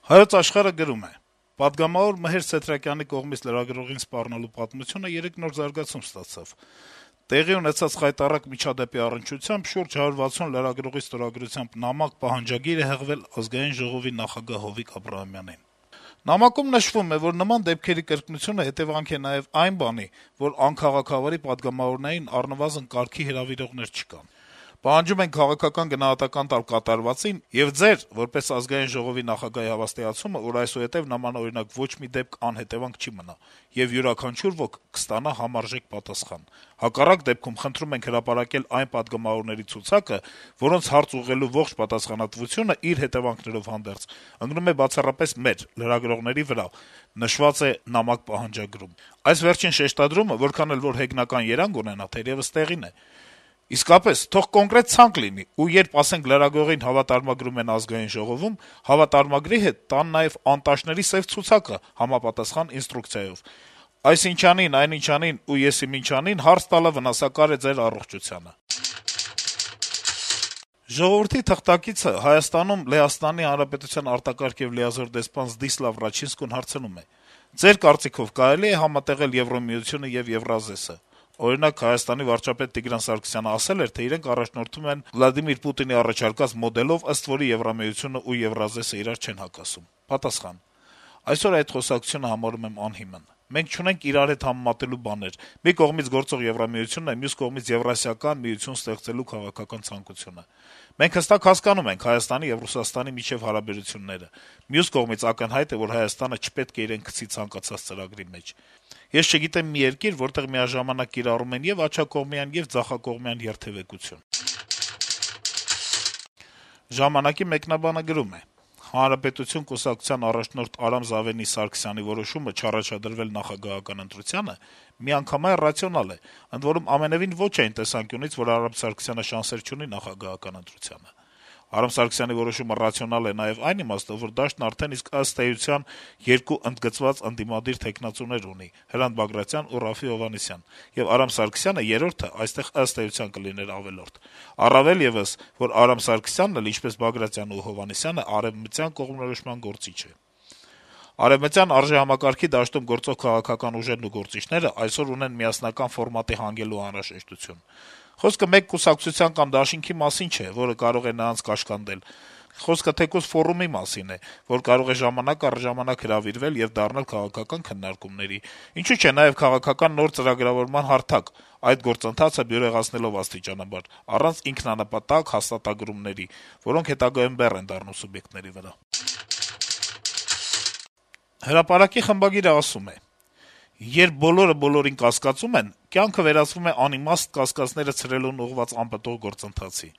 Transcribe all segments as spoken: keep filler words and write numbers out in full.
Հայոց Աշխարհը գրում է. - «Պատգամավոր Մհեր Սեթրակյանի կողմից լրագրողին սպառնալու պատմությունը երեկ նոր զարգացում ստացավ: Տեղի ունեցած խայտառակ միջադեպի առնչությամբ շուրջ հարյուր վաթսուն լրագրողի ստորագրությամբ նամակ պահանջագիր է հղվել Ազգային ժողովի նախագահ Հովիկ Աբրահամյանին: Նամակում նշվում է, որ նման դեպքերի կրկնությունը հետեւանք է նաեւ այն բանի, որ անքաղաքավարի պատգամավորներին առնվազն կարգի հրավիրողներ չկան: Պահանջում ենք քաղաքական գնահատական տալ կատարվածին եւ ձեր` որպես Ազգային ժողովի նախագահի հավաստիացումը, որ այսուհետեւ նմանօրինակ ոչ մի դեպք անհետեւանք չի մնա, եւ յուրաքանչյուր ոք կստանա համարժեք պատասխան: Հակառակ դեպքում խնդրում ենք հրապարակել այն պատգամավորների ցուցակը, որոնց հարց ուղղելու ողջ պատասխանատվությունը իր հետեւանքներով հանդերձ ընկնում է բացառապես մեր` լրագրողների վրա», նշված է նամակ պահանջագրում: Այս վերջին շեշտադրումը, որքան էլ որ հեգնական երանգ ունենա, թերեւս տեղին է: Իսկապես, թող կոնկրետ ցանկ լինի, ու երբ, ասենք, լրագրողին հավատարմագրում են Ազգային ժողովում, հավատարմագրի հետ տան նաեւ անտաշների սեւ ցուցակը համապատասխան ինստրուկցիայով: Այսինչանին, այնինչանին ու եսիմինչանին հարց տալը վնասակար է ձեր առողջությանը»: «Ժողովուրդ»-ի թղթակիցը Հայաստանում Լեհաստանի Հանրապետության արտակարգ եւ լիազոր դեսպան Զդիսլավ Ռաչինսկուն հարցնում է. - «Ձեր կարծիքով կարելի է համատեղել Եվրամիությունը եւ Եվրազեսը: Օրինակ, Հայաստանի վարչապետ Տիգրան Սարգսյանը ասել էր, թե իրենք առաջնորդվում են Վլադիմիր Պուտինի առաջարկած մոդելով, ըստ որի Եվրամիությունն ու Եվրազեսը իրար չեն հակասում»: Պատասխան. - «Այսօր այդ խոսակցությունը համարում եմ անհիմն: Մենք չունենք իրար հետ համեմատելու բաներ: Մի կողմից գործող Եվրամիությունն է, մյուս կողմից Եվրասիական միություն ստեղծելու քաղաքական ցանկությունը: Մենք հստակ հասկանում ենք Հայաստանի եւ Ռուսաստանի միջեւ հարաբերությունները: Մյուս կողմից ակնհայտ է, որ Հայաստանը չպետք է իրեն գցի ցանկացած ծրագրի մեջ: Ես չգիտեմ մի երկիր, որտեղ միաժամանակ կիրառում են եւ աջակողմյան, եւ ձախակողմյան երթեւեկություն»: «Ժամանակ»-ի մեկնաբանը գրում է. - «Հանրապետություն կուսակցության առաջնորդ Արամ Զավենի Սարգսյանի որոշումը չառաջադրվել նախագահական ընտրությանը միանգամայն ռացիոնալ է, ընդ որում ամենեւին ոչ այն տեսանկյունից, որ Արամ Սարգսյանը շանսեր չունի նախագահական ընտրությանը: Արամ Սարգսյանի որոշումը ռացիոնալ է նաեւ այն իմաստով, որ դաշտն արդեն իսկ ըստ էության երկու ընդգծված ընդդիմադիր թեկնածուներ ունի` Հրանտ Բագրատյան ու Րաֆֆի Հովհաննիսյան, եւ Արամ Սարգսյանը երրորդը այստեղ ըստ էության կլիներ ավելորդ: Առավել եւս, որ Արամ Սարգսյանն էլ, ինչպես Բագրատյանն ու Հովհաննիսյանը, արեւմտյան կողմնորոշման գործիչ է: Արեւմտյան արժեհամակարգի դաշտում գործող քաղաքական ուժերն ու գործիչները այսօր ունեն միասնական ֆորմատի հանգելու անհրաժեշտություն: Խոսքը մեկ կուսակցության կամ դաշինքի մասին չէ, որը կարող է նրանց կաշկանդել: Խոսքը թեկուզ ֆորումի մասին է, որ կարող է ժամանակ առ ժամանակ հրավիրվել եւ դառնալ քաղաքական քննարկումների, ինչու՞ չէ նաեւ քաղաքական նոր ծրագրավորման հարթակ, այդ գործընթացը բյուրեղացնելով աստիճանաբար, առանց ինքնանպատակ հաստատագրումների, որոնք հետագայում բեռ են դառնում սուբյեկտների վրա»: «Հրապարակ»-ի խմբագիրը ասում է. - «Երբ բոլորը բոլորին կասկածում են, կյանքը վերածվում է անիմաստ կասկածները ցրելուն ուղղված անպտուղ գործընթացի: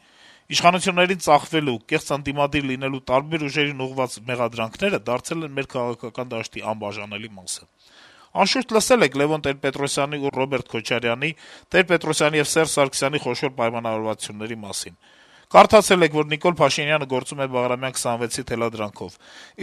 Իշխանություններին ծախվելու, կեղծ ընդդիմադիր լինելու տարբեր ուժերին ուղղված մեղադրանքները դարձել են մեր քաղաքական դաշտի անբաժանելի մասը: Անշուշտ լսել եք Լեւոն Տեր-Պետրոսյանի ու Ռոբերտ Քոչարյանի, Տեր-Պետրոսյանի եւ Սերժ Սարգսյանի խոշոր պայմանավորվածությունների մասին: Կարդացել եք, որ Նիկոլ Փաշինյանը գործում է Բաղրամյան քսանվեցի թելադրանքով,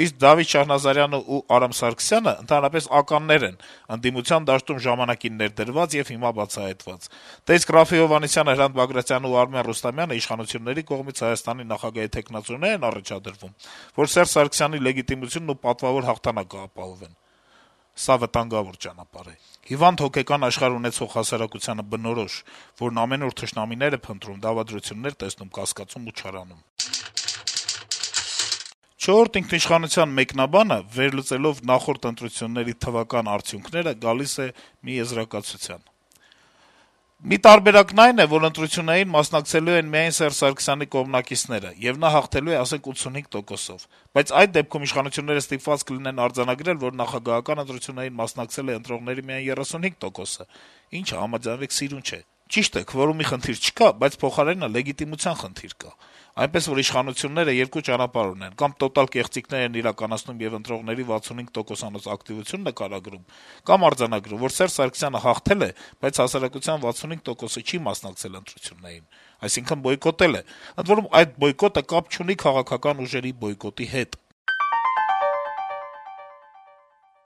իսկ Դավիթ Շահնազարյանն ու Արամ Սարգսյանը ընդհանրապես ականներ են, ընդդիմության դաշտում ժամանակին ներդրված եւ հիմա բացահայտված: Դե իսկ Րաֆֆի Հովհաննիսյանը, Հրանտ Բագրատյանն ու Արմեն Ռուստամյանը իշխանությունների կողմից Հայաստանի նախագահի թեկնածուներ են առաջադրվում, որ Սերժ Սարգսյանի լեգիտիմությունն ու պատվավոր հաղթանակը ապահովեն: Սա վտանգավոր ճանապարհ է: Հիվանդ հոգեկան աշխարհ ունեցող հասարակությանը բնորոշ, որն ամենուր թշնամիներ է փնտրում, դավադրություններ տեսնում, կասկածում ու չարանում»: «Չորրորդ ինքնիշխանության» մեկնաբանը, վերլուծելով նախորդ ընտրությունների թվական արդյունքները, գալիս է մի եզրակացության. - «Մի տարբերակն այն է, որ ընտրություններին մասնակցելու են միայն Սերժ Սարգսյանի կողմնակիցները, եւ նա հաղթելու է, ասենք, ութսունհինգ տոկոսով: Բայց այդ դեպքում իշխանությունները ստիպված կլինեն արձանագրել, որ նախագահական ընտրություններին մասնակցել է ընտրողների միայն երեսունհինգ տոկոսը, ինչը, համաձայնվեք, սիրուն չէ: Ճիշտ է, քվորումի խնդիր չկա, բայց փոխարենը լեգիտիմության խնդիր կա: Այնպես որ իշխանությունները երկու ճանապարհ ունեն. կամ տոտալ կեղծիքներ են իրականացնում եւ ընտրողների վաթսունհինգ տոկոսանոց ակտիվություն նկարագրում, կամ արձանագրում, որ Սերժ Սարգսյանը հաղթել է, բայց հասարակության վաթսունհինգ տոկոսը չի մասնակցել ընտրություններին, այսինքն` բոյկոտել է: Ընդ որում, այդ բոյկոտը կապ չունի քաղաքական ուժերի բոյկոտի հետ»: